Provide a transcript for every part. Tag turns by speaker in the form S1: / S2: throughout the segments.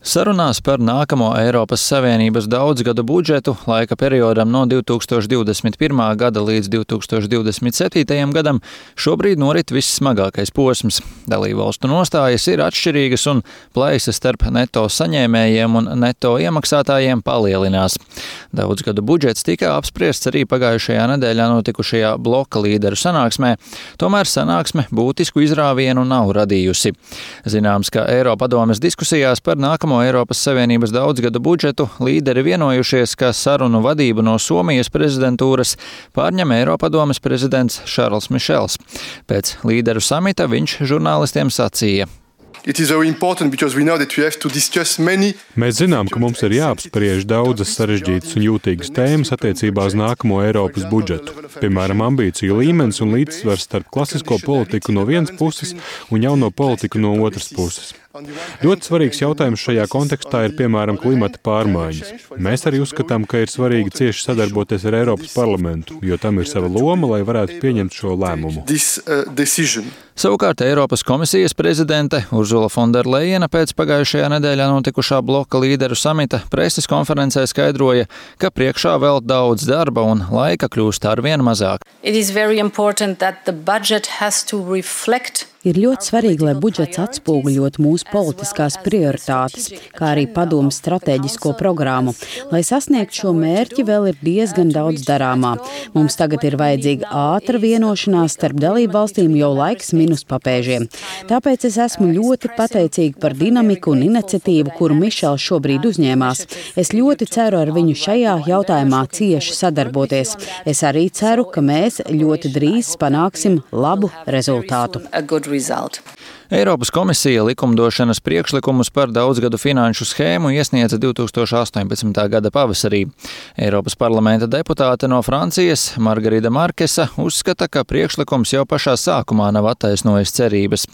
S1: Sarunās par nākamo Eiropas Savienības daudzgadu budžetu laika periodam no 2021. gada līdz 2027. gadam šobrīd norit vissmagākais posms. Dalībvalstu nostājas ir atšķirīgas un plaisas starp neto saņēmējiem un neto iemaksātājiem palielinās. Daudzgadu budžets tika apspriests arī pagājušajā nedēļā notikušajā bloka līderu sanāksmē, tomēr sanāksme būtisku izrāvienu nav radījusi. Zināms, ka Eiropadomes diskusijās par nākamo Eiropas Savienības daudzgadu budžetu līderi vienojušies, ka sarunu vadību no Somijas prezidentūras pārņem Eiropadomes prezidents Šarls Mišels. Pēc līderu samita viņš žurnālistiem sacīja:
S2: Mēs zinām, ka mums ir jāapspriež daudzas sarežģītas un jūtīgas tēmas attiecībā uz nākamo Eiropas budžetu. Piemēram, ambīciju līmenis un līdzsvars starp klasisko politiku no vienas puses un jauno politiku no otras puses. Ļoti svarīgs jautājums šajā kontekstā ir, piemēram, klimata pārmaiņas. Mēs arī uzskatām, ka ir svarīgi cieši sadarboties ar Eiropas parlamentu, jo tam ir sava loma, lai varētu pieņemt šo lēmumu.
S1: Savukārt Eiropas komisijas prezidente Urzula Fonderlejena pēc pagājušajā nedēļā notikušā bloka līderu samita preses konferencē skaidroja, ka priekšā vēl daudz darba un laika kļūst arvien mazāk.
S3: Ir ļoti svarīgi, lai budžets atspoguļot mūsu politiskās prioritātes, kā arī padomes stratēģisko programmu. Lai sasniegtu šo mērķi, vēl ir diezgan daudz darāmā. Mums tagad ir vajadzīga ātra vienošanās starp dalību valstīm, jo laiks min uz papēžiem. Tāpēc es esmu ļoti pateicīga par dinamiku un iniciatīvu, kuru Mišels šobrīd uzņēmās. Es ļoti ceru ar viņu šajā jautājumā cieši sadarboties. Es arī ceru, ka mēs ļoti drīz panāksim labu rezultātu.
S1: Eiropas komisija likumdošanas priekšlikumus par daudzgadu finanšu schēmu iesniedza 2018. gada pavasarī. Eiropas parlamenta deputāte no Francijas Margarita Markesa uzskata, ka priekšlikums jau pašā sākumā nav attaisnojis cerības.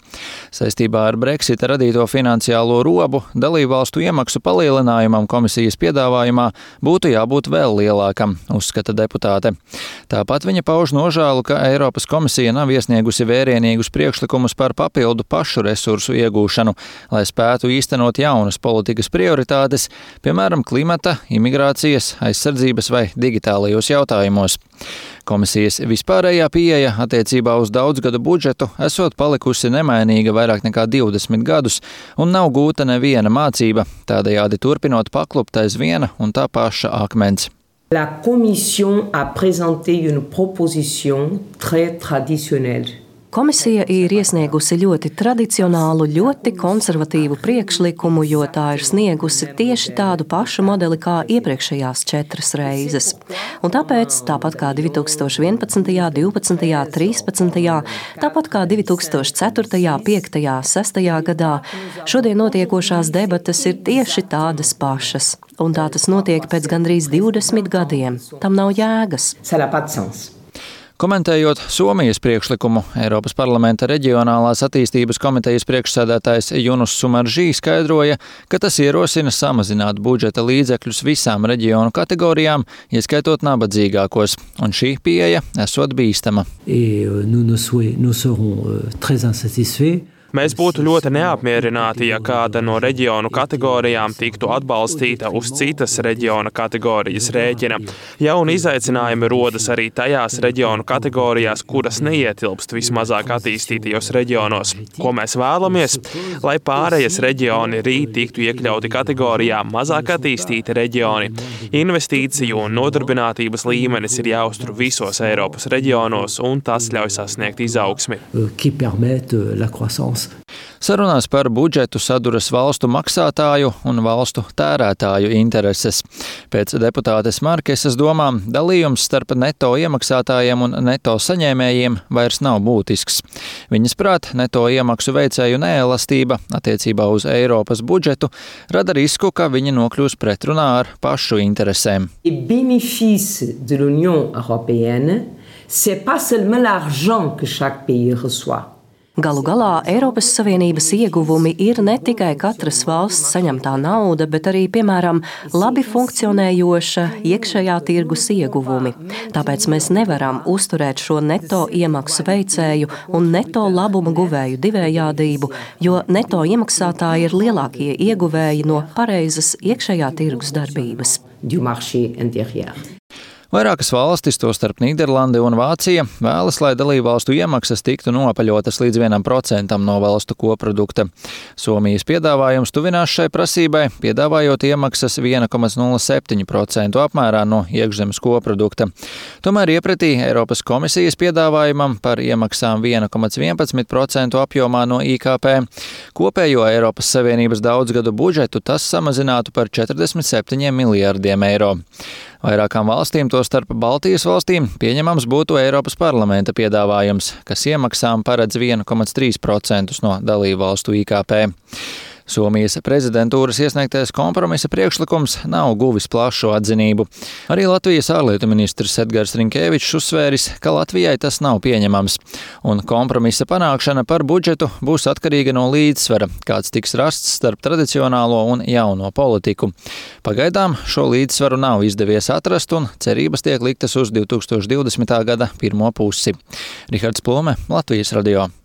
S1: Saistībā ar Brexita radīto finansiālo robu dalībvalstu iemaksu palielinājumam komisijas piedāvājumā būtu jābūt vēl lielākam, uzskata deputāte. Tāpat viņa pauž nožēlu, ka Eiropas komisija nav iesniegusi vērienīgus priekšlikumus par papildu pašu resursu iegūšanu, lai spētu īstenot jaunas politikas prioritātes, piemēram, klimata, imigrācijas, aizsardzības vai digitālajos jautājumos. Komisijas vispārējā pieeja attiecībā uz daudzgadu budžetu esot palikusi nemainīga vairāk nekā 20 gadus un nav gūta neviena mācība, tādējādi turpinot paklupt aiz viena un tā paša akmens.
S4: La Commission a présenté une proposition très traditionnelle.
S5: Komisija ir iesniegusi ļoti tradicionālu, ļoti konservatīvu priekšlikumu, jo tā ir sniegusi tieši tādu pašu modeli kā iepriekšējās 4 reizes. Un tāpēc, tāpat kā 2011., 12., 13., tāpat kā 2004., 5., 6. gadā, šodien notiekošās debates ir tieši tādas pašas. Un tā tas notiek pēc gandrīz 20 gadiem. Tam nav jēgas.
S1: Komentējot Somijas priekšlikumu, Eiropas parlamenta reģionālās attīstības komitejas priekšsēdētājs Junus Sumaržī skaidroja, ka tas ierosina samazināt budžeta līdzekļus visām reģionu kategorijām, ieskaitot nabadzīgākos, un šī pieeja esot bīstama.
S6: Mēs būtu ļoti neapmierināti, ja kāda no reģionu kategorijām tiktu atbalstīta uz citas reģiona kategorijas rēķina. Jauni izaicinājumi rodas arī tajās reģionu kategorijās, kuras neietilpst vismazāk attīstītajos reģionos. Ko mēs vēlamies? Lai pārējas reģioni rīt tiktu iekļauti kategorijā mazāk attīstīti reģioni. Investīciju un nodarbinātības līmenis ir jāuztur visos Eiropas reģionos, un tas ļauj sasniegt izaugsmi.
S1: Sarunās par budžetu saduras valstu maksātāju un valstu tērētāju intereses. Pēc deputātes Markesas domām dalījums starp neto iemaksātājiem un neto saņēmējiem vairs nav būtisks. Viņas prāt, neto iemaksu veicēju neelastība attiecībā uz Eiropas budžetu rada risku, ka viņi nokļūs pretrunā ar pašu interesēm.
S4: C'est pas seulement l'argent que chaque pays reçoit.
S5: Galu galā Eiropas Savienības ieguvumi ir ne tikai katras valsts saņemtā nauda, bet arī, piemēram, labi funkcionējoša iekšējā tirgus ieguvumi. Tāpēc mēs nevaram uzturēt šo neto iemaksu veicēju un neto labumu guvēju divējādību, jo neto iemaksātāji ir lielākie ieguvēji no pareizas iekšējā tirgus darbības.
S1: Vairākas valstis, tostarp Nīderlande un Vācija, vēlas, lai dalībvalstu iemaksas tiktu nopaļotas līdz 1% no valstu koprodukta. Somijas piedāvājums tuvinās šai prasībai, piedāvājot iemaksas 1,07% apmērā no iekšzemes koprodukta. Tomēr iepratī Eiropas komisijas piedāvājumam par iemaksām 1,11% apjomā no IKP kopējo Eiropas Savienības daudzgadu budžetu tas samazinātu par 47 miljārdiem eiro. Vairākām valstīm, tostarp Baltijas valstīm, pieņemams būtu Eiropas parlamenta piedāvājums, kas iemaksām paredz 1,3% no dalību valstu IKP. Somijas prezidentūras iesniegtais kompromisa priekšlikums nav guvis plašu atzinību. Arī Latvijas ārlietu ministrs Edgars Rinkēvičs uzsvēris, ka Latvijai tas nav pieņemams, un kompromisa panākšana par budžetu būs atkarīga no līdzsvara, kāds tiks rasts starp tradicionālo un jauno politiku. Pagaidām šo līdzsvaru nav izdevies atrast, un cerības tiek liktas uz 2020. gada pirmo pusi. Rihards Plome, Latvijas radio.